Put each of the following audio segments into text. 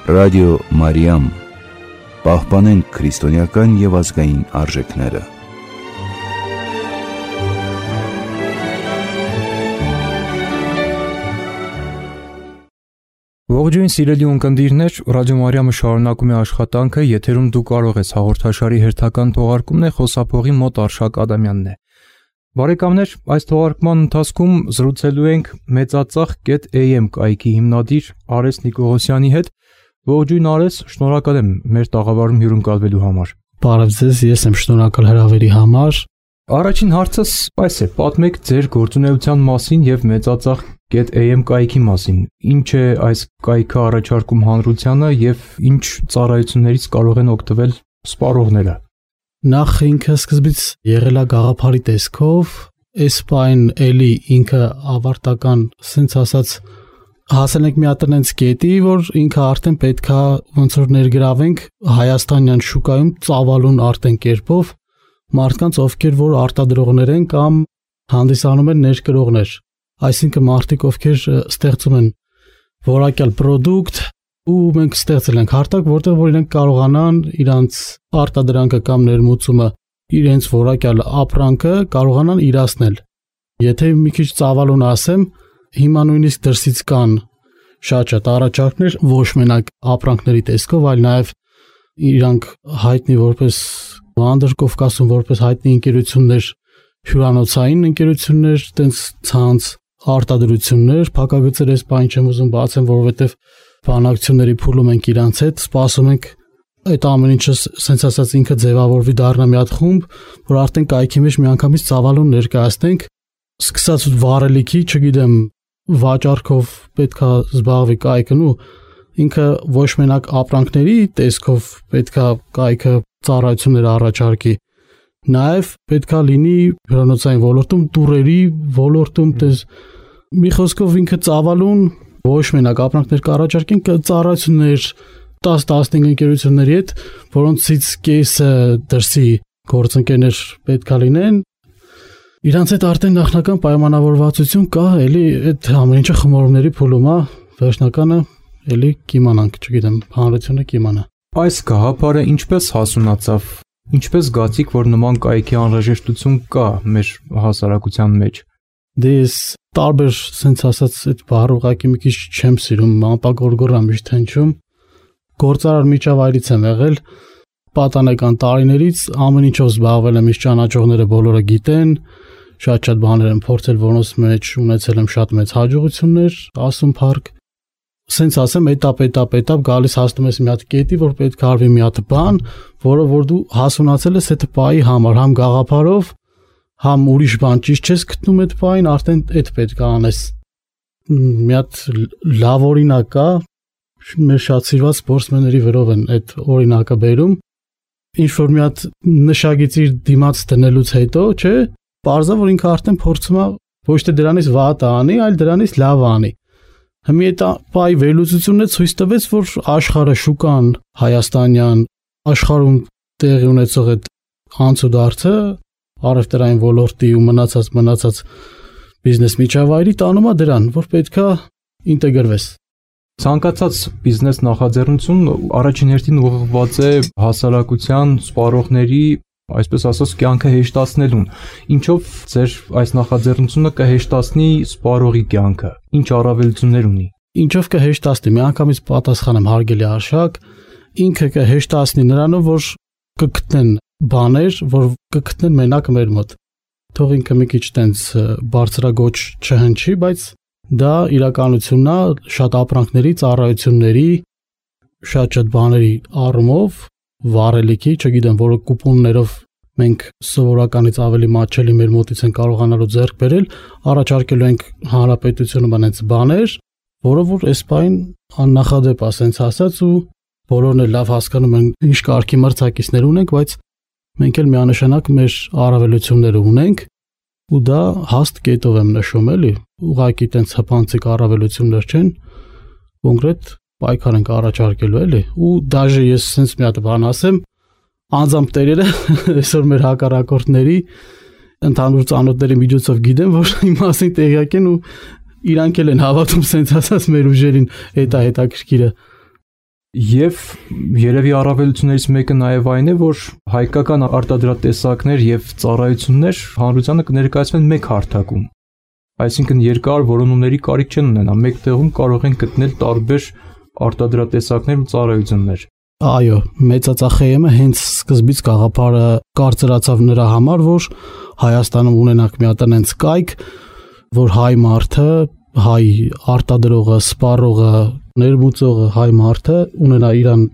Ռադիո Մարիամ, պահպանենք քրիստոնեական և ազգային արժեքները։ Ողջույն սիրելի ունկնդիրներ, Ռադիո Մարիամը շարունակում է աշխատանքը, եթերում դու կարող ես հաղորդաշարի հերթական թողարկումն է, խոսափողի մոտ Արշակ Ադամյանն է։ Բարեկամներ, այս թողարկման ընթացքում զրուցելու ենք մեծածախ.am կայքի հիմնադիր Արես Նիկողոսյանի հետ։ Ողջույն Արես, շնորհակալ եմ մեր տաղավարում հյուրընկալվելու համար։ Բարև ձեզ, ես եմ շնորհակալ հրավերի համար։ Առաջին հարցս այս է, պատմեք ձեր գործունեության մասին եւ մեծածախ.am կայքի մասին։ Ինչ է այս կայքը առաջարկում հանրությանը եւ ինչ ծառայություններից կարող են օգտվել սպառողները։ Նախ ինքը սկզբից եղել է գաղափարի տեսքով, այս պայն էլի ինքը ավարտական, ասենց ասած, հասել ենք մի հատ այնց կետի, որ ինքը արդեն պետքա ոնց որ ներգրավենք հայաստանյան շուկայում ծավալուն արդեն կերպով մարդկանց, ովքեր որ արտադրողներ են կամ հանդիսանում են ներկրողներ, այսինքն մարդիկ, ովքեր ստեղծում են որակյալ պրոդուկտ ու մենք ստեղծել ենք հարթակ, որտեղ որ իրենք կարողանան իրանց արտադրանքը կամ ներմուծումը, իրենց որակյալ ապրանքը կարողանան իրացնել։ Եթե մի քիչ ծավալուն ասեմ, հիմա նույնիսկ դրսից կան շատ առաջարկներ, ոչ մենակ ապրանքների տեսքով, այլ նաև իրանք հայտնի որպես Անդրկովկասում որպես հայտնի ընկերություններ, հյուրանոցային ընկերություններ, տենց ցանց արտադրություններ, փակագծեր էս բան չեմ ուզում բացեմ, որովհետև բանակցությունների փուլում ենք իրանց հետ, սպասում ենք այդ ամեն ինչը սենց ասած ինքը ձևավորվի դառնա մի հատ խումբ, որ արդեն կայքի մեջ միանգամից ծավալուն ներկայացնենք, սկսած վառելիքի, չգիտեմ, վաճառքով պետքա զբաղվի կայքն ու ինքը ոչ մենակ ապրանքների տեսքով պետքա կայքը ծառայություններ առաջարկի, նաև պետքա լինի հյուրանոցային ոլորտում, տուրերի ոլորտում, մի խոսքով ինքը ծավալուն ոչ մենակ ապրանքներ կառաջարկեն, ծառայություններ 10-15 ընկերությունների հետ, որոնցից կեսը դրսի գործընկերներ պետքա լինեն, իրանց հետ արդեն նախնական պայմանավորվածություն կա, էլի այդ ամեն ինչը խմորումների փուլում է, վերջնականը էլի կիմանանք, չգիտեմ, հանրությունը կիմանա։ Այս գաղափարը ինչպես հասունացավ, ինչպես զգացիք, որ նման կայքի անհրաժեշտություն կա մեր հասարակության մեջ։ Դե ես տարբեր, սենց ասած, այդ բառը ուղղակի մի քիչ չեմ սիրում, ամպագորգորա միշտ հնչում։ Գործարար միջավայրից եմ եղել, պատանեկան տարիներից ամեն ինչով զբաղվել եմ, իս ճանաչողները բոլորը գիտեն, շատ բաներ եմ փորձել, որոնց մեջ ունեցել եմ շատ մեծ հաջողություններ, ասում փառք։ Սենց ասեմ, էտապ գալիս հասնում ես մի հատ կետի, որ պետք է արվի մի հատ բան, որը որ դու հասունացել ես այդ պայի համար, համ գաղափարով, համ ուրիշ բան ճիշտ չես գտնում այդ պային, արդեն այդ պետք է անես։ Մի հատ լավ օրինակ կա, մեր շատ սիրված սպորտսմենների վրով են այդ օրինակը բերում, ինչ որ մի հատ նշագիծիր դիմաց դնելուց հետո, չէ, պարզա որ ինքը արդեն փորձում է ոչ թե դրանից վատ անի, այլ դրանից լավ անի։ Հիմա այդ պայի վերլուծությունն է ցույց տվեց, որ աշխարհը շուկան հայաստանյան աշխարհում տեղի ունեցող այդ անցուդարձը առևտրային ոլորտի ու մնացած բիզնես միջավայրի տանում է դրան, որ պետքա ինտեգրվես։ Ցանկացած բիզնես նախաձեռնություն առաջին հերթին ուղղված է հասարակության սպառողների, այսպես ասած, կյանքը հեշտացնելուն։ Ինչով ձեր այս նախաձեռնությունը կհեշտացնի սպառողի կյանքը։ Ինչ առավելություններ ունի։ Ինչով կհեշտացնի, միանգամից պատասխանեմ հարգելի Արշակ, ինքը կհեշտացնի նրանով, որ կգտնեն բաներ, որ կգտնեն մենակ մեր մոտ։ Թող ինքը մի քիչ տենց բարձրագոչ չհնչի, բայց դա իրականությունն է շատ ապրանքների, ծառայությունների, շատ բաների առումով, վառելիքի, չգիտեմ, որը կուպոններով մենք սովորականից ավելի մատչելի մեր մոտից են կարողանալու ձեռք բերել, առաջարկելու ենք հանրապետությունում այնց բաներ, որը որ այս պայն աննախադեպ է, ասենց ասած, ու բոլորն էլ լավ հասկանում են ինչ կարգի մրցակիցներ ունենք, բայց մենք էլ միանշանակ մեր առավելությունները ունենք, ու դա հաստ կետով եմ նշում, էլի, ուղղակի տենց հպանցիկ առավելություններ չեն, կոնկրետ պայքար ենք առաջարկելու, էլի, ու դաժե ես sense մի հատ բան ասեմ, անձամբ տերերը այսօր մեր հակառակորդների ընդհանուր ծանոթների միջոցով գիտեն, որ իմ մասին տեղյակ են ու իրանք էլ են հավատում sense ասած մեր ուժերին, հետաքրքիրը։ Եվ երևի առավելություններից մեկը նաև այն է, որ հայկական արտադրատեսակներ եւ ծառայություններ հանրությանը կներկայացվեն մեկ հարթակում։ Այսինքն երկար որոնումների կարիք չեն ունենա, մեկ տեղում կարող են գտնել տարբեր արտադրատեսակներ ու ծառայություններ։ Այո, մեծածախ ԵՄ-ը հենց սկզբից գաղափարը կարծրացավ նրա համար, որ Հայաստանում ունենանք մի հատ այնց կայք, որ հայ մարդը, հայ արտադրողը, սպառողը, ներմուծողը, հայ մարդը ունենա իրան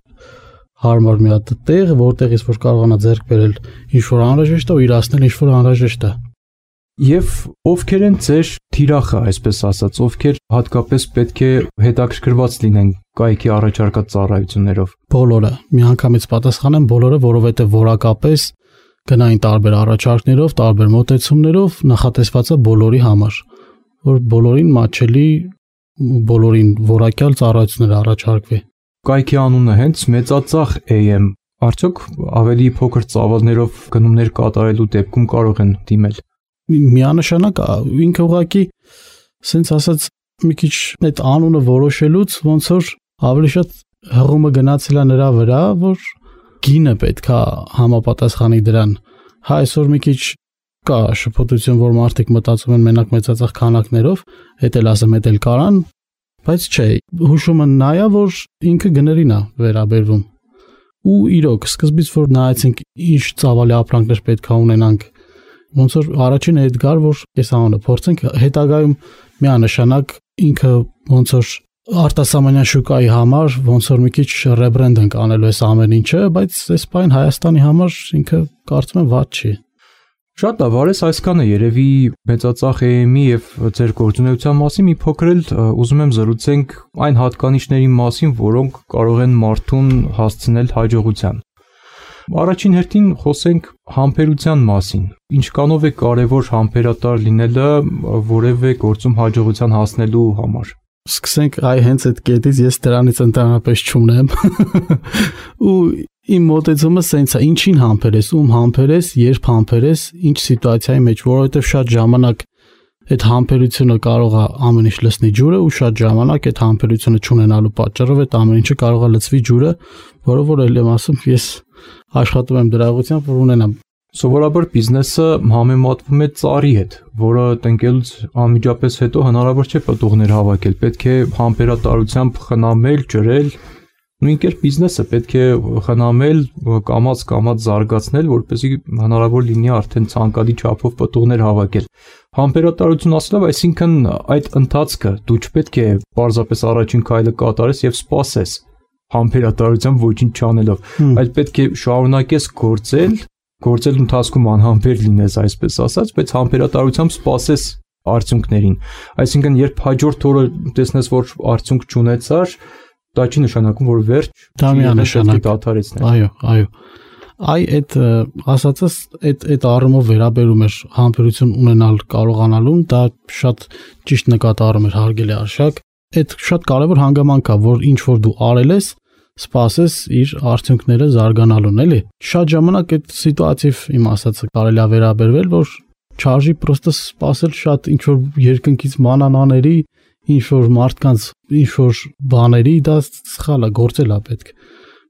հարմար մի հատ տեղ, որտեղից որ կարողանա ձեռք բերել ինչ որ անհրաժեշտ է ու իրացնել ինչ որ անհրաժեշտ է։ Եվ ովքեր են ձեր թիրախը, այսպես ասած, ովքեր հատկապես պետք է հետաքրքրված լինեն կայքի առաջարկած ծառայություններով։ Բոլորը, միանգամից պատասխանեմ բոլորը, որովհետև որակապես գնային տարբեր առաջարկներով, տարբեր մոտեցումներով նախատեսված է բոլորի համար, որ բոլորին մատչելի, բոլորին որակյալ ծառայություններ առաջարկվի։ Կայքի անունը հենց մեծածախ AM, արդյոք ավելի փոքր ծավալներով գնումներ կատարելու դեպքում կարող են դիմել։ Միանշանակ ինքը ուղղակի սենց ասած մի քիչ այդ անունը որոշելուց ոնց որ ավելի շատ հղումը գնացել է նրա վրա, որ գինը պետքա համապատասխանի դրան։ Հա այսօր մի քիչ կա շփոթություն, որ մարդիկ մտածում են մենակ մեծածախ քանակներով, հետ էլ ասեմ, հետ էլ կարան, բայց չէ, հուշումը նա է, որ ինքը գներին է վերաբերվում։ Ու իրոք, սկզբից որ նայեցինք ինչ ծավալի ապրանքներ պետքա ունենանք, ոնց որ առաջին էդգար, որ այս անունը փորձենք հետագայում միանշանակ ինքը ոնց որ արտասահմանյան շուկայի համար ոնց որ մի քիչ ռեբրենդ ենք անելու այս ամեն ինչը, բայց այս բան Հայաստանի համար ինքը կարծում եմ վատ չի։ Շատ լավ, արես այսքանը երևի մեծածախ AM-ի եւ ձեր գործունեության մասին մի փոքր էլ ուզում եմ զրուցենք այն հատկանիշների մասին, որոնք կարող են մարդուն հասցնել հաջողության։ Առաջին հերթին խոսենք համբերության մասին։ Ինչքանով է կարևոր համբերատար լինելը որևէ գործում հաջողության հասնելու համար։ Սկսենք հենց այդ կետից, ես դրանից ընդհանրապես չունեմ։ Ու իմ մոտեցումը սենց է, ինչին համբերես, ում համբերես, երբ համբերես, ինչ սիտուացիայի մեջ, որովհետև շատ ժամանակ այդ համբերությունը կարող է ամեն ինչ լցնի ջուրը ու շատ ժամանակ այդ համբերությունը չունենալու պատճառով այդ ամեն ինչը կարող է լցվի ջուրը, որը որ էլ եմ ասում, ես աշխատում եմ դրա ուղղությամբ, որ ունենամ։ Սովորաբար բիզնեսը համեմատվում է ծառի հետ, որը տնկելուց անմիջապես հետո հնարավոր չէ պտուղներ հավաքել, պետք է համբերատարությամբ խնամել, ջրել, նույն կերպ բիզնեսը պետք է խնամել, կամաց զարգացնել, որպեսզի հնարավոր լինի արդեն ցանկալի չափով պտուղներ հավաքել։ Համբերատարություն ասելով, այսինքն այդ ընթացքը դու չպետք է պարզապես առաջին քայլը կատարես եւ սպասես համբերատարությամբ ոչինչ չանելով, այլ պետք է շարունակես գործել ընթացքում անհամբեր լինես, այսպես ասած, բայց համբերատարությամբ սպասես արդյունքներին։ Այսինքն, երբ հաջորդ օրը տեսնես, որ արդյունք չունեցար, դա չի նշանակում, որ վերջ, դա միանշանակ դադարեցնել։ Այո։ Այդ ասածս այդ առումով վերաբերում էր համբերություն ունենալ կարողանալուն, դա շատ ճիշտ նկատառում էր հարգելի Արշակ։ Այդ շատ կարևոր հանգամանք է, որ ինչ որ դու արել ես, սպասես իր արդյունքները զարգանալուն, էլի։ Շատ ժամանակ այդ սիտուացիվ իմ ասածը կարելի է վերաբերվել, որ չարժի պրոստը սպասել շատ ինչ որ երկնքից մանանաների, ինչ որ մարդկանց, ինչ որ բաների, դա սխալ է, գործել է պետք։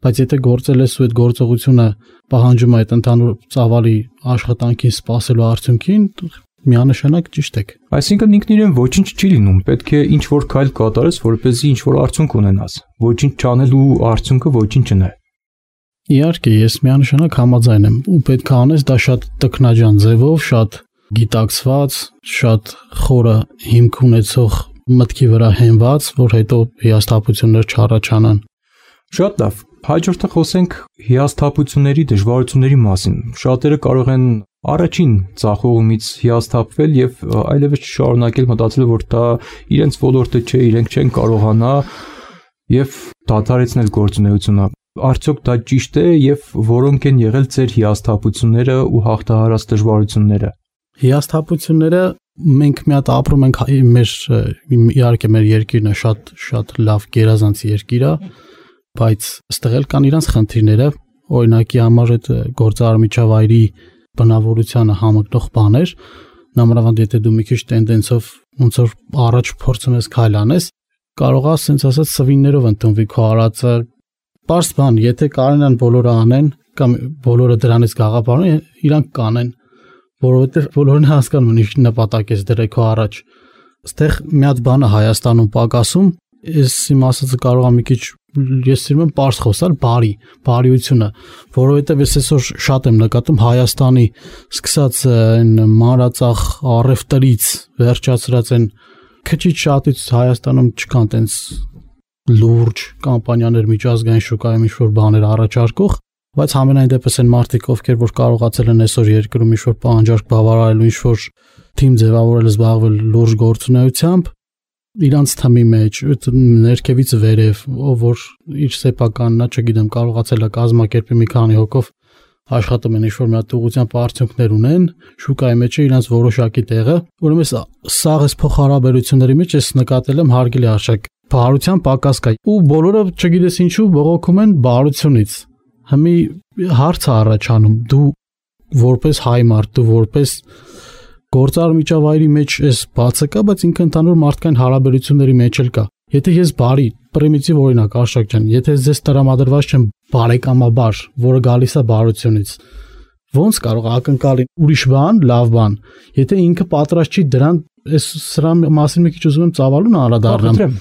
Բայց եթե գործել ես ու այդ գործողությունը պահանջում է այդ ընդհանուր ծավալի աշխատանքին սպասելու արդյունքին, միանշանակ ճիշտ եք։ Այսինքն ինքն իրեն ոչինչ չի լինում, պետք է ինչ որ քայլ կատարես, որպեսզի ինչ որ արդյունք ունենաս։ Ոչինչ չանելու արդյունքը ոչինչն է։ Իհարկե, ես միանշանակ համաձայն եմ, ու պետք է անես դա շատ տքնաջան ձևով, շատ գիտակցված, շատ խորը հիմք ունեցող մտքի վրա հենված, որ հետո հիասթափություններ չառաջանան։ Շատ լավ։ Հաջորդը խոսենք հիասթափությունների, դժվարությունների մասին։ Շատերը կարող են առաջին ցախողումից հիասթափվել եւ այլևս շարունակել մտածել, որ դա իրենց ոլորտը չէ, իրենք չեն կարողանա եւ դադարեցնել գործունեությունը։ Արդյոք դա ճիշտ է եւ որոնք են եղել ձեր հիասթափությունները ու հաղթահարած դժվարությունները։ Հիասթափությունները մենք մի հատ ապրում ենք իհարկե մեր երկիրն է շատ լավ գերազանց երկիր է, բայց այստեղ էլ կան իրանց խնդիրները, օրինակի համար այդ գործարարմիջավայրի բնավորությանը համընկնող բաներ, նամրավանդ եթե դու մի քիչ տենդենսով ոնց որ առաջ փորձում ես քայլ անես, կարող է ասենց ասած սվիններով ընդունվի քո արածը, Պարզ բան, եթե կարենան բոլորը անեն կամ բոլորը դրանից գաղափարեն, իրանք կանեն, որովհետև բոլորն հասկանում են ինչ նպատակ ես դրել քո առաջ։ Այստեղ մի հատ բան է Հայաստանում պակասում, ես իմ ասածը կարող եմ մի քիչ ես սիրում եմ պարզ խոսալ, բարիությունը, որովհետև ես այսօր շատ եմ նկատում Հայաստանի սկսած այն մանրածախ առևտրից վերջացրած այն քիչ շատից Հայաստանում չկան տենց լուրջ կամպանիաներ միջազգային շուկայում ինչ-որ բաներ առաջարկող, բայց համենայն դեպս այն մարդիկ, ովքեր որ կարողացել են այսօր երկրում ինչ-որ պահանջարկ բավարարելու, ինչ-որ թիմ ձևավորել, զբաղվել լուրջ գործունեությամբ, իրանց թմի մեջ, ներքևից վերև, ով որ իր սեփականն է, չգիտեմ, կարողացել է կազմակերպի մի քանի հոգով աշխատում են ինչ-որ մի հատ ուղղությամբ արդյունքներ ունեն, շուկայի մեջ է իրանց որոշակի տեղը, ուրեմն սաղ էս փոխհարաբերությունների մեջ ես նկատել եմ հարգելի արժեք բարության պակաս կա ու բոլորը չգիտես ինչու բողոքում են բարությունից։ Հիմի հարց է առաջանում, դու որպես հայ մարդ, դու որպես գործար միջավայրի մեջ ես բացը կա, բայց ինքը ընդհանուր մարդկային հարաբերությունների մեջ էլ կա։ Եթե ես բարի, պրիմիտիվ օրինակ Արշակ ջան, եթե ես տրամադրված չեմ բարեկամաբար, որը գալիս է բարությունից, ոնց կարող ակնկալի ուրիշ բան, լավ բան, եթե ինքը պատրաստ չի դրան, սրա մասին մի քիչ ուզում եմ ծավալուն անդրադառնամ։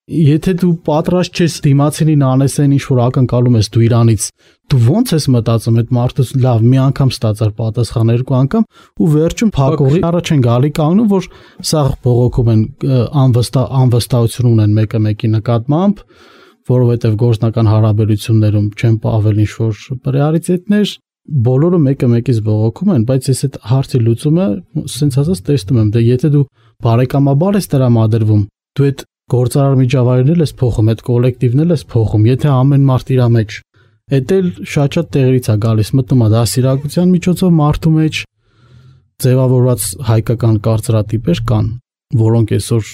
Եթե դու պատրաստ ես դիմացինին անես այն ինչ որ ակնկալում ես դու իրանից, դու ոնց ես մտածում այդ մարդուց լավ մի անգամ ստացար պատասխան երկու անգամ ու վերջում փակողի առաջ են գալի կանգնում որ սա բողոքում են անվստահություն ունեն մեկը մեկի նկատմամբ, որովհետև գործնական հարաբերություններում չեն պահվել ինչ որ պրեարիտետներ, բոլորը մեկը մեկից բողոքում են, բայց ես այդ հարցի լուծումը սենց ասած տեսնում եմ, դե եթե դու բարեկամաբար ես տրամադրվում, դու այդ գործարար միջավայրն ես փոխում, այդ կոլեկտիվն ես փոխում, եթե ամեն մարդ իր մեջ, դա էլ շատ տեղերից է գալիս, մտնում է դասիրակության միջոցով մարդու մեջ ձևավորված հայկական կարծրատիպեր կան, որոնք այսօր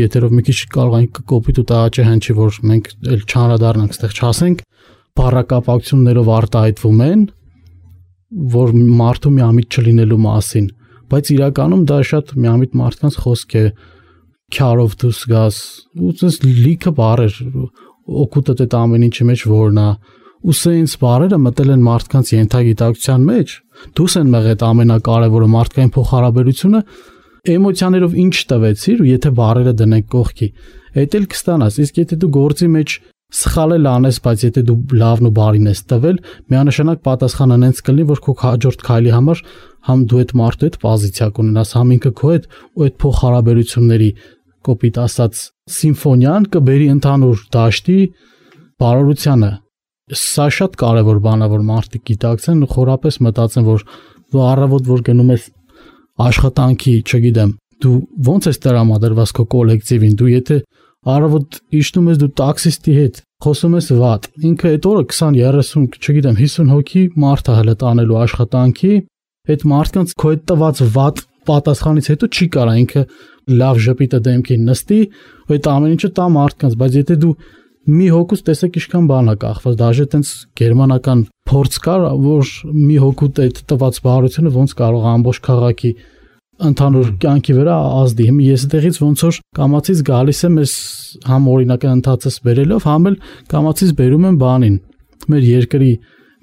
եթերով մի քիչ կարող են կոպիտ ու տաղաճե հնչի, որ մենք էլ չանդրադառնանք, այդտեղ չասենք, բառակապակցություններով արտահայտվում են, որ մարդու միամիտ չլինելու մասին, բայց իրականում դա շատ միամիտ մարդկանց խոսք է քյարով դուս գաս ու ցես լիքը բարեր օգուտը դա ամեն ինչի մեջ որն է ու սենց բարերը մտել են մարդկանց ենթագիտակցության մեջ դուս են մեղետ ամենակարևորը մարդկային փոխհարաբերությունը էմոցիաներով ինչ տվեցիր ու եթե բարերը դնենք կողքի դա էլ կստանաս իսկ եթե դու գործի մեջ սխալ էլ անես բայց եթե դու լավն ու բարին ես տվել միանշանակ պատասխանը նենց կլինի որ քո հաջորդ քայլի համար համ դու այդ մարդու հետ պոզիցիա կունենաս համ ինքը քո հետ ու այդ փոխհարաբերությունների կոպիտ ասած սիմֆոնիան կբերի ընդհանուր դաշտի բարօրությանը սա շատ կարևոր բան է որ մարդիկ գիտակցեն ու խորապես մտածեն որ դու առավոտ որ գնում ես աշխատանքի չգիտեմ դու ոնց ես տրամադրված քո կոլեկտիվին դու եթե առավոտ իջնում ես դու տաքսիստի հետ խոսում ես վատ ինքը այդ օրը 20-30 չգիտեմ 50 հոգի մարդ է հələ տանելու աշխատանքի այդ մարդկանց քո այդ տված վատ պատասխանից հետո չի կարա ինքը լավ ժպիտը դեմքին նստի ու այդ ամեն ինչը տա մարդկանց բայց եթե դու մի հոգուց տեսեք ինչքան բան է կախված դաժե տենց գերմանական փորձ կար որ մի հոգուց այդ տված բարությունը ոնց կարող ամբողջ քաղաքի ընդհանուր կյանքի վրա ազդի հիմա ես այդտեղից ոնց որ կամացից գալիս եմ ես համ օրինակը ընթացս բերելով համ էլ կամացից բերում եմ բանին մեր երկրի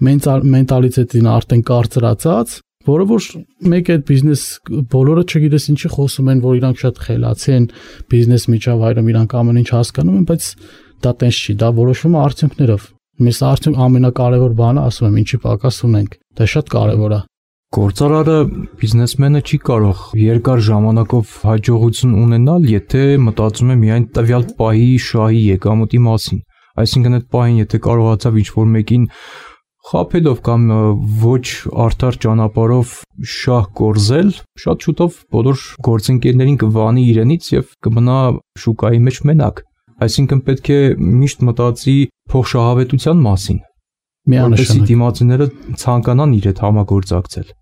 մենտալիտետին արդեն կարծրացած որը որ մեկ այդ բիզնես բոլորը չգիտես ինչի խոսում են որ իրանք շատ խելացի են բիզնես միջավայրում իրանք ամեն ինչ հասկանում են բայց դա տենց չի դա որոշվում է արդյունքներով մեզ արդյունք ամենակարևոր բանը ասում եմ ինչի պակաս ունենք դա շատ կարևոր է Գործարարը բիզնեսմենը չի կարող երկար ժամանակով հաջողություն ունենալ, եթե մտածում է միայն տվյալ պահի շահի եկամուտի մասին։ Այսինքն այդ պահին եթե կարողացավ ինչ-որ մեկին խաբելով կամ ոչ արդար ճանապարհով շահ կորզել, շատ շուտով բոլոր գործընկերներին կվանի իրենից եւ կմնա շուկայի մեջ մենակ։ Այսինքն պետք է միշտ մտածի փոխշահավետության մասին։ Որպեսզի դիմացիները ցանկանան իր հետ համագործակցել։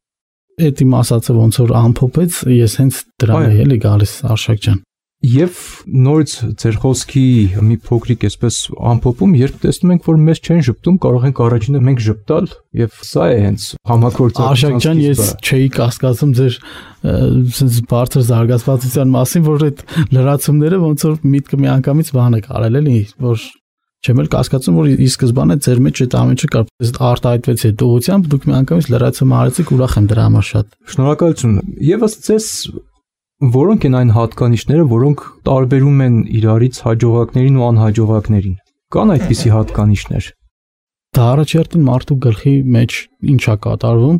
Այդ իմ ասածը ոնց որ ամփոփեց, ես հենց դրան եմ էլի գալիս Արշակ ջան։ Եվ նորից ձեր խոսքի մի փոքրիկ այսպես ամփոփում, երբ տեսնում ենք, որ մեզ չեն ճպտում, կարող ենք առաջինը մենք ճպտալ, եւ սա է հենց համագործակցության։ Արշակ ջան, ես չէի կասկածում ձեր sense բարձր զարգացվածության մասին, որ այդ լրացումները ոնց որ միտքը մի անգամից բան է կարել էլի, որ Չեմ էլ կասկածում, որ ի սկզբանե ձեր մեջ այդ ամենը կար, արտահայտվեց այդ ուղղությամբ, դուք միանգամից լրացում արեցիք, ուրախ եմ դրա համար շատ։ Շնորհակալություն։ Եվ ըստ ձեզ որոնք են այն հատկանիշները, որոնք տարբերում են իրարից հաջողակներին ու անհաջողակներին։ Կան այդպիսի հատկանիշներ։ Դա առաջերտին մարդու գլխի մեջ ինչա կատարվում,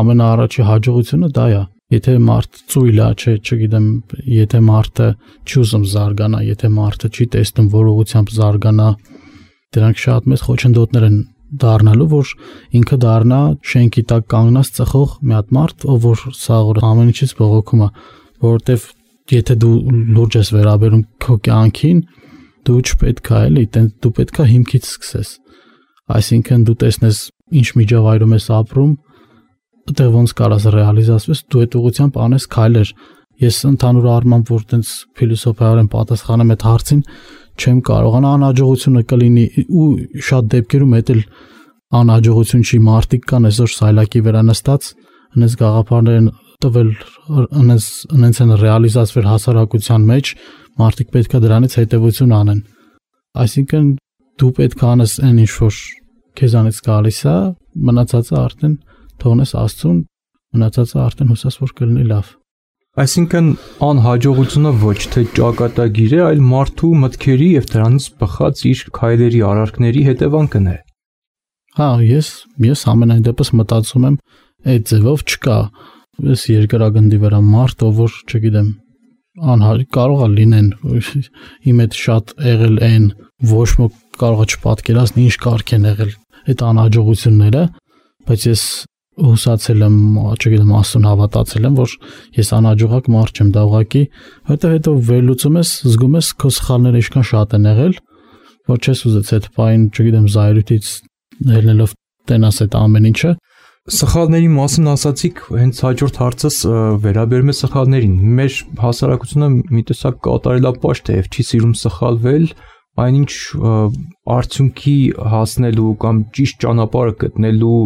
ամենաառաջի հաջողությունը դա է։ Եթե մարդ ծույլ է, չգիտեմ, եթե մարդը չի ուզում զարգանա, եթե մարդը չի տեսնում որ ուղղությամբ զարգանա, դրանք շատ մեծ խոչընդոտներ են դառնալու, որ ինքը դառնա շենքի տակ կանգնած ծխող մի հատ մարդ, ով որ սաղ ամեն ինչից բողոքում է, որովհետև եթե դու լուրջ ես վերաբերում քո կյանքին, դու չպետք է էլի, դու պետք է հիմքից սկսես։ Այսինքն դու տեսնես ինչ միջավայրում ես ապրում, այդտեղ ոնց կարաս ռեալիզացվես, դու այդ ուղղությամբ անես քայլեր։ Ես ընդհանուր առմամբ որ տենց փիլիսոփայորեն պատասխանեմ այդ հարցին, չեմ կարողանա անհաջողությունը կլինի ու շատ դեպքերում հետ էլ անհաջողություն չի, մարդիկ կան այսօր սայլակի վրա նստած, այնպես գաղափարներ են տվել, այնպես են ռեալիզացվել հասարակության մեջ, մարդիկ պետք է դրանից հետևություն անեն։ Այսինքն դու պետք է անես այն ինչ որ քեզանից գալիս է, մնացածը արդեն թողնես Աստծուն, մնացածը արդեն հուսես որ կլինի լավ։ Այսինքն անհաջողությունը ոչ թե ճակատագիր է, այլ մարդու մտքերի եւ դրանից բխած իր քայլերի, արարքների հետևանքն է։ Հա, ես ամենայն դեպս մտածում եմ այդ ձևով չկա այս երկրագնդի վրա մարդ, ով որ, չգիտեմ, կարող է լինեն իմ հետ շատ եղել են, ոչ ոք կարող է չպատկերացնի ինչ կարգ են եղել այդ անհաջողությունները, բայց ես հուսացել եմ, չգիտեմ, Աստծուն հավատացել եմ, որ ես անհաջողակ մարդ չեմ, դա ուղղակի հետո վերլուծում ես, զգում ես քո սխալները ինչքան շատ են եղել, որ չես ուզեց այդ բան, չգիտեմ, զայրույթից ելնելով տենաս այդ ամեն ինչը։ Սխալների մասին ասացիք, հենց հաջորդ հարցս վերաբերում է սխալներին։ Մեր հասարակությունը մի տեսակ կատարելապաշտ է եւ չի սիրում սխալվել, այնինչ արդյունքի հասնելու կամ ճիշտ ճանապարհը գտնելու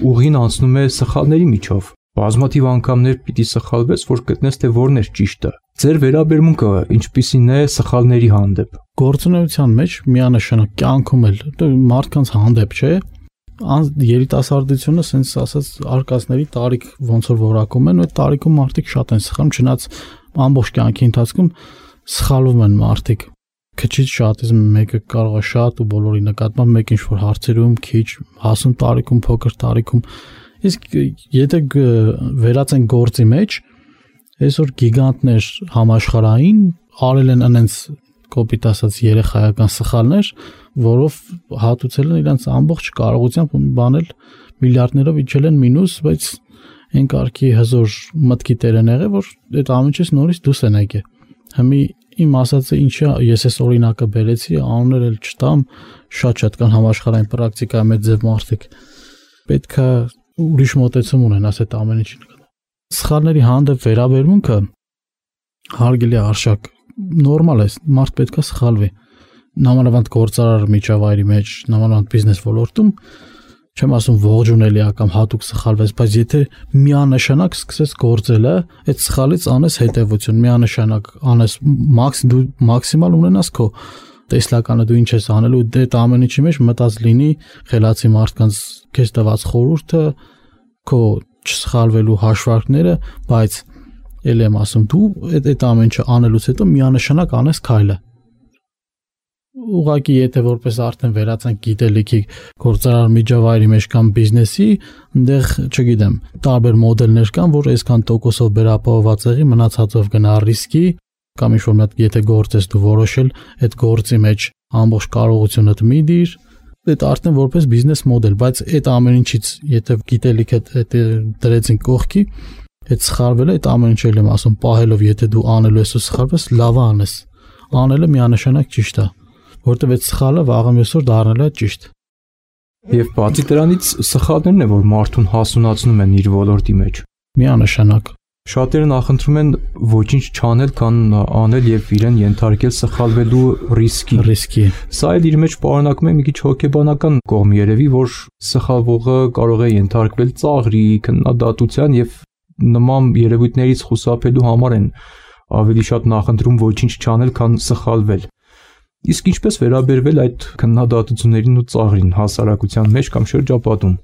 ուղին անցնում է սխալների միջով։ Բազմաթիվ անգամներ պիտի սխալվես, որ գտնես թե որն է ճիշտը։ Ձեր վերաբերմունքը ինչպիսին է սխալների հանդեպ։ Գործունեության մեջ միանշանակ կյանքում էլ մարդկանց հանդեպ չէ, երիտասարդությունը sense ասած արկածների տարիք ոնց որ որակում են, այդ տարիքում մարդիկ շատ են սխալվում, չնայած ամբողջ կյանքի ընթացքում սխալվում են մարդիկ։ Քիչից շատից մեկը կարող է շատ ու բոլորի նկատմամբ մեկ ինչ որ հարցերում քիչ, հասուն տարիքում, փոքր տարիքում։ Իսկ եթե վերածեն գործի մեջ, այսօր գիգանտներ համաշխարհային արել են այնց կոպիտ ասած երեխայական սխալներ, որով հատուցել են իրենց ամբողջ կարողությամբ բանել միլիարդներով իջել են մինուս, բայց այն կարգի հզոր մտքի տեր են եղել, որ այդ ամեն ինչից նորից դուրս են եկել։ Հիմա իմ ասածը ինչա, ես այս օրինակը բերեցի, անուններ էլ չտամ, շատ կան համաշխարհային պրակտիկայի մեջ ձև մարդիկ։ Պետք է ուրիշ մոտեցում ունենաս այդ ամեն ինչին։ Սխալների հանդեպ վերաբերմունքը հարգելի արժեք, նորմալ է, մարդ պետք է սխալվի։ Նամանավանդ գործարար միջավայրի մեջ, նամանավանդ բիզնես ոլորտում, չեմ ասում ողջունելի է կամ հատուկ սխալվես, բայց եթե միանշանակ սկսես գործելը, այդ սխալից անես հետևություն, միանշանակ անես դու մաքսիմալ ունենաս քո տեսլականը դու ինչ ես անելու, այդ ամեն ինչի մեջ մտած լինի խելացի մարդկանց քեզ տված խորհուրդը, քո չսխալվելու հաշվարկները, բայց ել եմ ասում դու այդ ամեն ինչը անելուց հետո միանշանակ անես քայլը։ Ուղղակի եթե որպես արդեն վերածենք գիտելիքի գործարար միջավայրի մեջ կամ բիզնեսի, այնտեղ, չգիտեմ, տարբեր մոդելներ կան, որ այսքան տոկոսով վերապահոված եղի, մնացածով գնա ռիսկի, կամ ինչ-որ մի հատ եթե գործ ես դու որոշել, այդ գործի մեջ ամբողջ կարողությունդ մի դիր, այդ արդեն որպես բիզնես մոդել, բայց այդ ամեն ինչից եթե գիտելիքը դրեցին կողքի, այդ սխալվելը, այդ ամեն ինչը եմ ասում, պահելով, եթե դու անելու ես ու սխալվես, լավ անես։ Անելը միանշանակ ճիշտ է, որտեղ այդ սխալը վաղը մյուսօր դառնալու է ճիշտ։ Եվ բացի դրանից սխալներն է, որ մարդուն հասունացնում են իր ոլորտի մեջ։ Միանշանակ։ Շատերը նախընտրում են ոչինչ չանել, քան անել եւ իրեն ենթարկել սխալվելու ռիսկի։ Սա էլ իր մեջ պարունակում է մի քիչ հոգեբանական կողմ երևի, որ սխալվողը կարող է ենթարկվել ծաղրի, քննադատության եւ նման երևույթներից խուսափելու համար են ավելի շատ նախընտրում ոչինչ չանել, քան սխալվել։ Իսկ ինչպես վերաբերվել այդ քննադատություններին ու ծաղրին հասարակության մեջ կամ շրջապատում։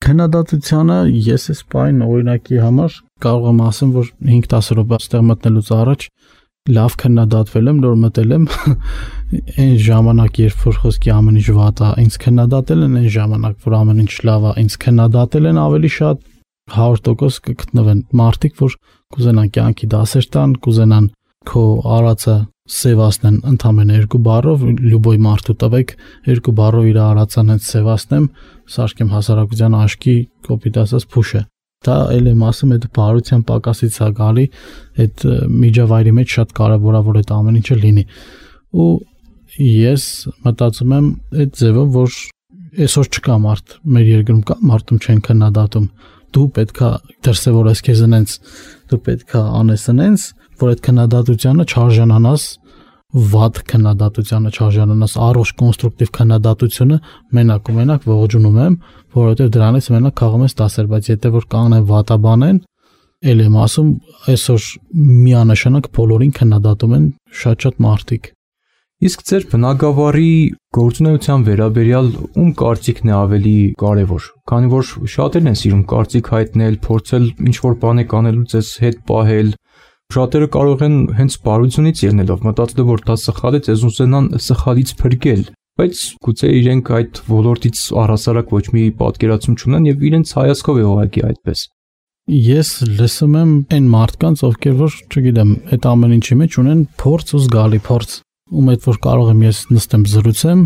Քննադատությանը ես այս բան օրինակի համար կարող եմ ասեմ, որ 5-10 րոպե այստեղ մտնելուց առաջ լավ քննադատվել եմ, նոր մտել եմ այն ժամանակ, երբ որ խոսքի ամեն ինչ վատ է, ինձ քննադատել են այն ժամանակ, որ ամեն ինչ լավ է, ինձ քննադատել են ավելի շատ 100% կգտնվեն մարդիկ, որ կուզենան կյանքի դասեր տան, կուզենան քո արածը սևացնեն ընդամենը 2 բառով, լյուբոյ մարդու տվեք 2 բառով իր արածան հենց սևացնեմ, սարքեմ հասարակության աշկի կոպիտ ասած փուշը։ Դա էլ եմ ասում, այդ բարության պակասից է գալի, այդ միջավայրի մեջ շատ կարևոր է, որ այդ ամեն ինչը լինի։ Ու ես մտածում եմ այդ ձևով, որ այսօր չկա մարդ, մեր երկրում կա մարդում չեն քննադատում։ Դու պետքա դրսևորես քեզ այնց, դու պետքա անես այնց, որ այդ քննադատությանը չարժանանաս, վատ քննադատությանը չարժանանաս, առողջ կոնստրուկտիվ քննադատությունը մենակ ու մենակ ողջունում եմ, որովհետև դրանից մենակ քաղում ես դասեր, բայց եթե որ կանեն վատաբանեն, ել եմ ասում, այսօր միանշանակ բոլորին քննադատում են շատ մարդիկ։ Իսկ ձեր բնակավարի գործունեության վերաբերյալ ում կարծիքն է ավելի կարևոր, քանի որ շատերն են սիրում կարծիք հայտնել, փորձել ինչ-որ բաներ անելու ձեզ հետ պահել, շատերը կարող են հենց բարությունից ելնելով մտածել, որ դա սխալ է, ձեզ ուզենան սխալից փրկել, բայց գուցե իրենք այդ ոլորտից առհասարակ ոչ մի պատկերացում չունեն եւ իրենց հայացքով է ուղղակի այդպես։ Ես լսում եմ այն մարդկանց, ովքեր որ, չգիտեմ, այդ ամեն ինչի մեջ ունեն փորձ ու զգալի փորձ, ում այդ որ կարող եմ ես նստեմ զրուցեմ,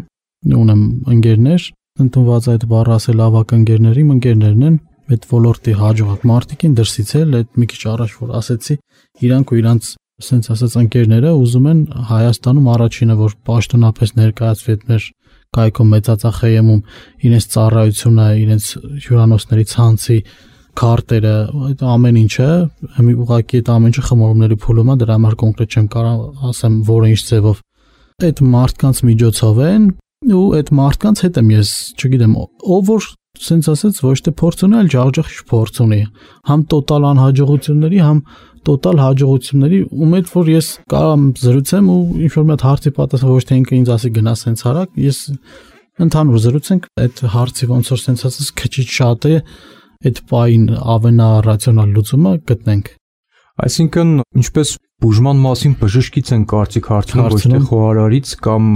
ունեմ ընկերներ, ընդունված այդ բառը ասել ավակ ընկերների, ընկերներն են, այդ ոլորտի հաջողակ մարդիկին դրսից էլ այդ մի քիչ առաջ որ ասեցի, իրանք ու իրանց ասենց ասած ընկերները ուզում են Հայաստանում առաջինը որ պաշտոնապես ներկայացվի այդ մեր կայքում մեծածախեյում իրենց ծառայությունը, իրենց հյուրանոցների ցանցի քարտերը, այդ ամեն ինչը, մի ուղղակի այդ ամեն ինչը խմորումների փուլում է, դրա համար կոնկրետ չեմ կարող ասեմ որը ինչ ձևով այդ մարդկանց միջոցով են ու այդ մարդկանց հետ եմ ես, չգիտեմ, ով որ սենց ասած ոչ թե փորձ ունի, այլ ջախջախ փորձ ունի, համ տոտալ անհաջողությունների, համ տոտալ հաջողությունների, ում հետ որ ես կարող եմ զրուցեմ ու ինչ որ մի հատ հարցի պատասխան ոչ թե ինքը ինձ ասի գնա սենց արագ, ես ընդհանուր զրուցենք, այդ հարցի ոնց որ սենց ասած քիչ շատ է, այդ պայն ավենառացիոնալ լուծումը գտնենք։ Այսինքն, ինչպես բուժման մասին բժշկից են կարծիք հարցնում, ոչ թե խոհարարից կամ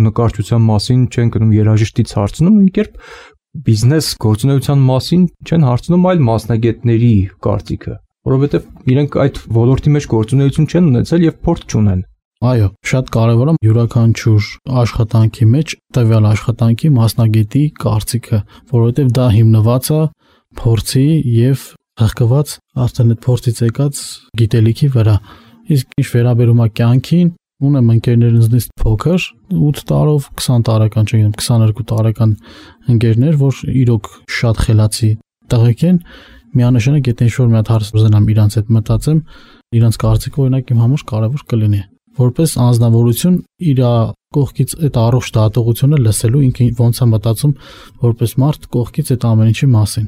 նկարչության մասին չեն գնում երաժշտից հարցնում, ինքերբ բիզնես գործունեության մասին չեն հարցնում այլ մասնագետների կարծիքը, որովհետև իրենք այդ ոլորտի մեջ գործունեություն չեն ունեցել եւ փորձ չունեն։ Այո, շատ կարևոր է յուրաքանչյուր աշխատանքի մեջ տվյալ աշխատանքի մասնագետի կարծիքը, որովհետև դա հիմնված է փորձի եւ հղկված արդեն այդ փորձից եկած գիտելիքի վրա։ Իսկ ինչ վերաբերում է կյանքին, ունեմ ընկերներինցից փոքր 8 տարով 20 տարեկան, չգիտեմ, 22 տարեկան ընկերներ, որ իրոք շատ խելացի տղեկ են, միանշանակ եթե ինչ-որ մի հատ հարց ուզենամ իրանց հետ մտածեմ, իրանց կարծիքը օրինակ իմ համար կարևոր կլինի։ Որպես անձնավորություն իր կողքից այդ առողջ դատողությունը լսելու ինքը ոնց է մտածում որպես մարդ կողքից այդ ամեն ինչի մասին։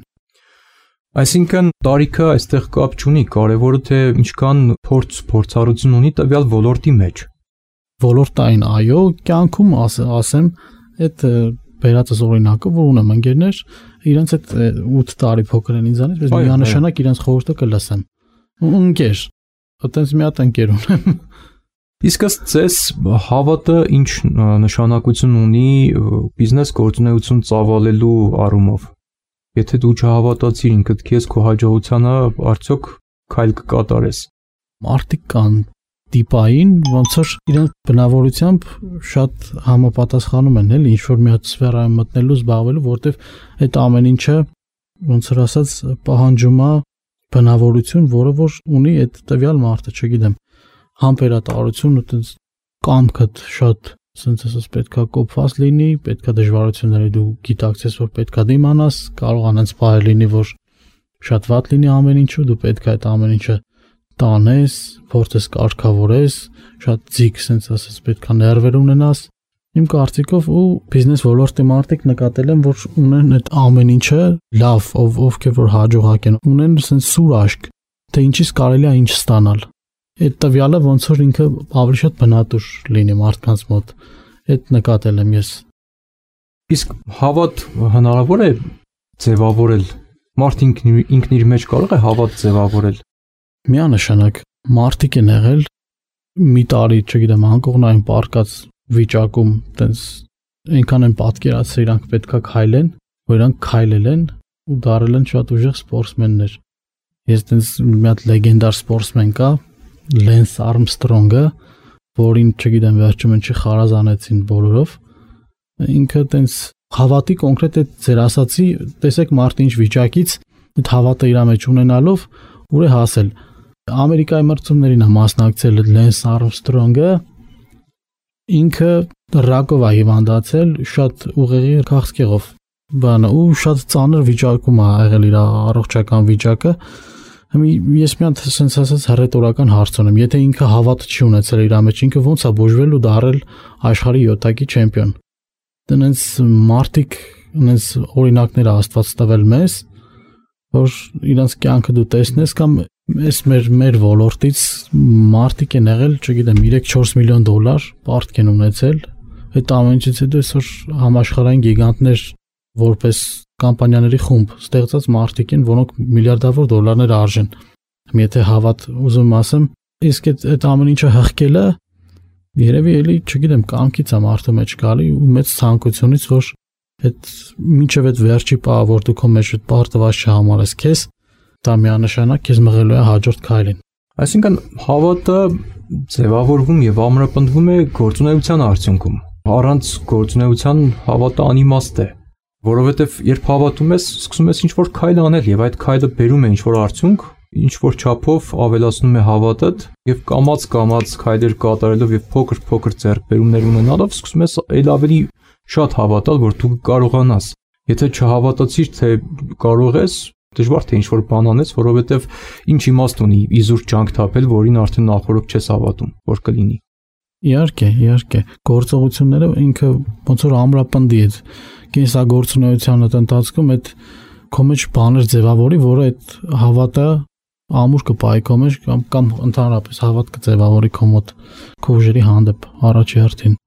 Այսինքն տարիքը այստեղ կապ չունի, կարևորը թե ինչքան փորձառություն ունի տվյալ ոլորտի մեջ։ Ոլորտային, այո, կյանքում ասեմ, այդ բերածս օրինակը, որ ունեմ ընկերներ, իրենց այդ 8 տարի փոքր են ինձանից, բայց միանշանակ իրենց խորհուրդը կլսեմ։ Ընկեր, այտենց մի հատ ընկեր ունեմ։ Իսկ ըստ ձեզ հավատը ինչ նշանակություն ունի բիզնես գործունեություն ծավալելու առումով։ Եթե դու չհավատացիր ինքդ քեզ քո հաջողությանը, արդյոք քայլ կկատարես։ Մարդիկ կան տիպային, ոնց որ իրենց բնավորությամբ շատ համապատասխանում են, էլի ինչ որ մի հատ սֆերայում մտնելու, զբաղվելու, որտեվ այդ ամեն ինչը ոնց որ ասած պահանջում է բնավորություն, որը որ ունի այդ տվյալ մարդը, չգիտեմ, համբերատարություն, այտենց կամքդ շատ սենց ասած պետքա կոփված լինի, պետքա դժվարությունների դու գիտակցես, որ պետքա դիմանաս, կարող անենց բառ լինի, որ շատ վատ լինի ամեն ինչը, դու պետքա այդ ամեն ինչը տանես, փորձես կարգավորես, շատ ձիգ սենց ասած պետքա ներվեր ունենաս։ Իմ կարծիքով ու բիզնես ոլորտի մարդիկ նկատել են, որ ունեն այդ ամեն ինչը լավ, ովքեր որ հաջողակ են, ունեն սենց սուր աշկ, թե ինչից կարելի է ինչ ստանալ։ Այդ տվյալը ոնց որ ինքը ավելի շատ բնատուր լինի մարդկանց մոտ։ այդ նկատել եմ ես։ Իսկ հավատ հնարավոր է ձևավորել։ Մարդ ինքն իր մեջ կարող է հավատ ձևավորել։ Միանշանակ մարդիկ են եղել մի տարի, չգիտեմ, անկողնային պարկած վիճակում, տենց այնքան են պատկերացրել իրանք պետքա քայլեն, որ իրանք քայլել են ու դարել են շատ ուժեղ սպորտսմեններ։ Ես տենց մի հատ լեգենդար սպորտսմեն կա, Լենս Արմստրոնգը, որին, չգիտեմ, վերջում ինչի խարազանեցին բոլորով։ Ինքը տենց հավատի կոնկրետ այդ ձեր ասացի, տեսեք մարդը ինչ վիճակից այդ հավատը իր մեջ ունենալով ուր է հասել։ Ամերիկայի մրցումներին է մասնակցել Լենս Արմստրոնգը, ինքը ռակով է հիվանդացել, շատ ուղեղի քաղցկեղով, բանը ու շատ ծանր վիճակում է եղել իր առողջական վիճակը։ Ես մի հատ sense ասած հռետորական հարց ունեմ, եթե ինքը հավատ չի ունեցել իր մեջ, ինքը ո՞նց է բուժվել ու դարել աշխարհի 7-ակի չեմպիոն։ Դրանց մարդիկ, այնց օրինակներ Աստված տվել մեզ, որ իրանց կյանքը դու տեսնես կամ այս մեր ոլորտից մարդիկ են եղել, չգիտեմ, 3-4 միլիոն դոլար պարտք են ունեցել, այդ ամենից հետո այսօր համաշխարհային գիգանտներ որպես կամպանիաների խումբ ստեղծած մարդիկ են, որոնք միլիարդավոր դոլարներ արժեն։ Եթե հավատ ուզում ասեմ, իսկ այդ ամեն ինչը հղկելը երևի էլի, չգիտեմ, կամքից է մարդու մեջ գալի ու մեծ ցանկությունից, որ այդ մինչև այդ վերջի պահ, որ դու քո մեջ այդ պարտված չհամարես քեզ, դա միանշանակ քեզ մղելու է հաջորդ քայլին։ Այսինքն հավատը ձևավորվում եւ ամրապնդվում է գործունեության արդյունքում։ Առանց գործունեության հավատը անիմաստ է, որովհետեւ երբ հավատում ես, սկսում ես ինչ-որ քայլ անել եւ այդ քայլը բերում է ինչ-որ արդյունք, ինչ-որ չափով ավելացնում է հավատդ եւ կամած քայլեր կատարելով եւ փոքր ձեռքբերումներ ունենալով սկսում ես այլ ավելի շատ հավատալ, որ դու կարողանաս։ Եթե չհավատացիր, թե կարող ես, դժվար թե ինչ-որ բան անես, որովհետեւ ինչ իմաստ ունի իզուր ջանք թափել, որին արդեն նախորդ չես հավատում, որ կլինի։ Իհարկե, գործողությունները ինքը ոնց որ ամրապնդի է կենսագործունեության ընթացքում այդ քո մեջ բաներ ձևավորի, որը այդ հավատը ամուր կպայի քո մեջ կամ ընդհանրապես հավատ կձևավորի քո մոտ քո ուժերի հանդեպ առաջի հերթին։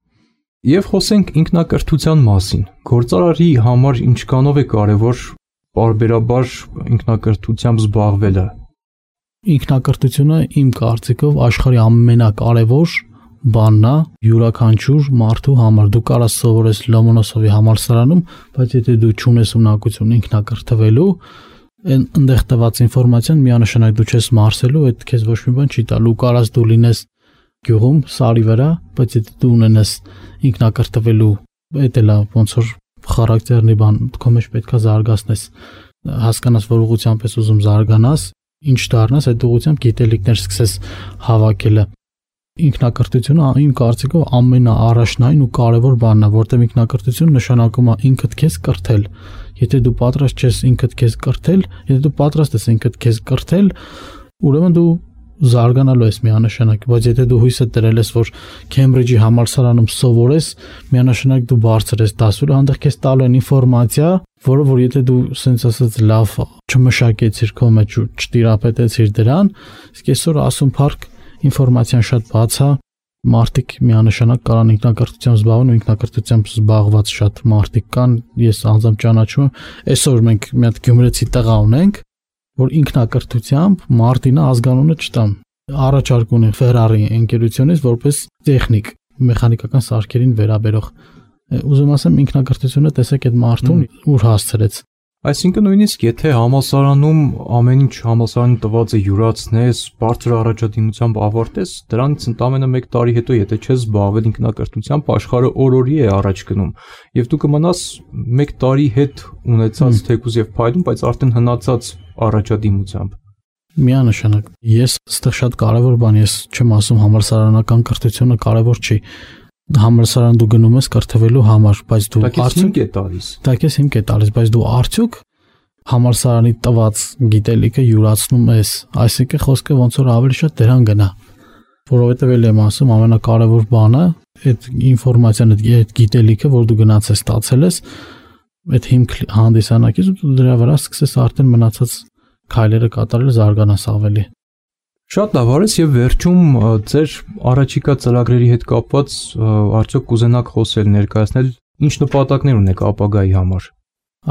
Եվ խոսենք ինքնակրթության մասին։ Գործարարի համար ինչքանով է կարևոր պարբերաբար ինքնակրթությամբ զբաղվելը։ Ինքնակրթությունը իմ կարծիքով աշխարհի ամենակարևոր բանն է յուրաքանչյուր մարդու համար։ Դու կարաս սովորես Լոմոնոսովի համալսարանում, բայց եթե դու չունես ունակություն ինքնակրթվելու, այնտեղ տված ինֆորմացիան միանշանակ դու չես մարսելու, այդ քեզ ոչ մի բան չի տալու։ Կարաս դու լինես գյուղում, սարի վրա, բայց եթե դու ունենաս ինքնակրթվելու, այդ էլա ոնց որ խարակտերնի բան, քո մեջ պետքա զարգացնես, հասկանաս, որ ուղղությամբ ես ուզում զարգանաս, ինչ դառնաս, այդ ուղղությամբ գիտելիքներ սկսես հավաքելը։ Ինքնակրթությունը իմ կարծիքով ամենաառաջնային ու կարևոր բանն է, որտեղ ինքնակրթությունը նշանակում է ինքդ քեզ կրթել։ Եթե դու պատրաստ չես ինքդ քեզ կրթել, եթե դու պատրաստ ես ինքդ քեզ կրթել, ուրեմն դու զարգանալու ես միանշանակ, բայց եթե դու հույսը դրել ես, որ Քեմբրիջի համալսարանում սովորես, միանշանակ դու բարձր ես դասուրը, հանդերձ քեզ տալու են ինֆորմացիա, որը որ եթե դու սենց ասած լավ չմշակեցիր քո մեջ ու չտիրապետեցիր դրան, իսկ այսօր ասում փառք ինֆորմացիան շատ բաց է, մարդիկ միանշանակ կարան ինքնակրթությամբ զբաղվեն ու ինքնակրթությամբ զբաղված շատ մարդիկ կան, ես անձամբ ճանաչում եմ, այսօր մենք մի հատ գյումրեցի տղա ունենք, որ ինքնակրթությամբ Մարտինը ազգանունը չտամ, առաջարկ ունի Ferrari ընկերությունից որպես տեխնիկ, մեխանիկական սարքերին վերաբերող։ Ուզում ասեմ ինքնակրթությունը տեսեք այդ մարդուն ուր հասցրեց։ Այսինքն նույնիսկ եթե համալսարանում ամեն ինչ համալսարանի տված է յուրացնես, բարձր առաջադիմությամբ ավարտես, դրանից ընդամենը 1 տարի հետո եթե չես զբաղվել ինքնակրթությամբ, աշխարհը օր-օրի է առաջ գնում, եւ դու կմնաս 1 տարի հետ ունեցած թեկուզ եւ փայլում, բայց արդեն հնացած առաջադիմությամբ։ Միանշանակ, ես այստեղ շատ կարևոր բան, ես չեմ ասում համալսարանական կրթությունը կարևոր չի։ Համալսարան դու գնում ես կրթվելու համար, բայց դու արդյոք է տալիս։ Դա քեզ հիմք է տալիս, բայց դու արդյոք համալսարանի տված գիտելիքը յուրացնում ես, այսինքն խոսքը ոնց որ ավելի շատ դրան գնա, որովհետև էլ եմ ասում ամենակարևոր բանը այդ ինֆորմացիան, այդ գիտելիքը, որ դու գնաց ես ստացել ես, այդ հիմք հանդիսանակից ու դրա վրա սկսես արդեն մնացած քայլերը կատարել, զարգանաս ավելի։ Շատ լավ, արես եւ վերջում ձեր առաջիկա ծրագրերի հետ կապված արդյոք կուզենաք խոսել, ներկայացնել ինչ նպատակներ ունեք ապագայի համար։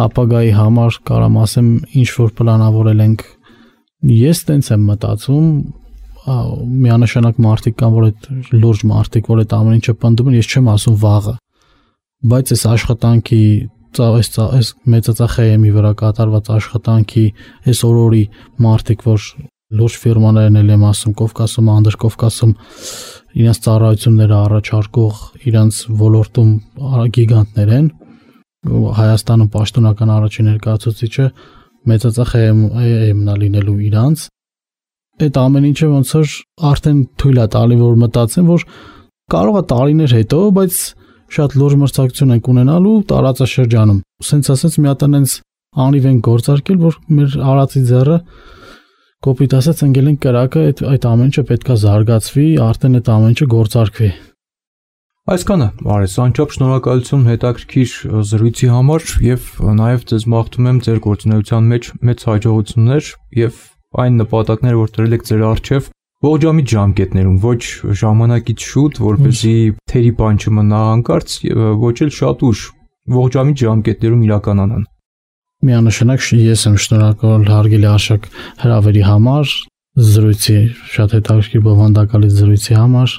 Ապագայի համար կարամ ասեմ ինչ որ պլանավորել ենք։ Ես տենց եմ մտածում, միանշանակ մարդիկ կան, որ այդ լուրջ մարդիկ, որ այդ ամեն ինչը պնդում են, ես չեմ ասում վաղը, բայց այս աշխատանքի այս մեծածախայեմի վրա կատարված աշխատանքի այս օրորի մարդիկ, որ լուրջ ֆիրմաներն եմ ասում, Կովկասում, Անդրկովկասում իրենց ծառայությունները առաջարկող իրենց ոլորտում գիգանտներ են, Հայաստանում պաշտոնական առաջին ներկայացուցիչը մեծածախայեմն է լինելու իրանց, այդ ամեն ինչը ոնց որ արդեն թույլ է տալի, որ մտածեն, որ կարող է տարիներ հետո, բայց շատ լուրջ մրցակցություն ենք ունենալու տարածաշրջանում։ Սենց ասած մի հատ այնց անիվ են գործարկել, որ մեր արածի ձեռը կոպիտ ասած ընկել են կրակը, այդ ամեն ինչը պետքա զարգացվի, արդեն այդ ամեն ինչը գործարկվի։ Այսքանը, արես, անչափ շնորհակալություն հետաքրքիր զրույցի համար եւ նաեւ ձեզ մաղթում եմ ձեր գործունեության մեջ մեծ հաջողություններ եւ այն նպատակները, որ դրել եք ձեր առջև ողջամիտ ժամկետներում, ոչ ժամանակից շուտ, որպեսզի թերի բան չմնա հանկարծ, ոչ էլ շատ ուշ, ողջամիտ ժամկետներում իրականանան։ Միանշանակ ես եմ շնորհակալ հարգելի Արշակ հրավերի համար, զրույցի շատ հետաքրքիր բովանդակալից զրույցի համար,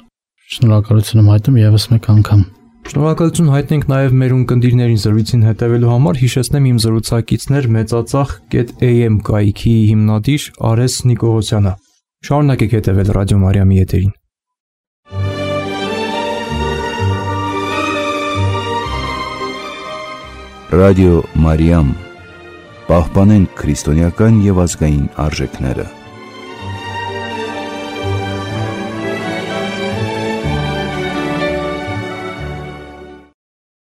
շնորհակալություն եմ հայտնում եւս մեկ անգամ։ Շնորհակալություն հայտնենք նաև մեր ունկնդիրներին զրույցին հետևելու համար, հիշեցնեմ իմ զրուցակիցներ մեծածախ.am կայքի հիմնադիր Արես Նիկողոսյանը։ Շարունակեք հետևել Ռադիո Մարիամի եթերին։ Ռադիո Մարիամ, պահպանենք քրիստոնեական եւ ազգային արժեքները։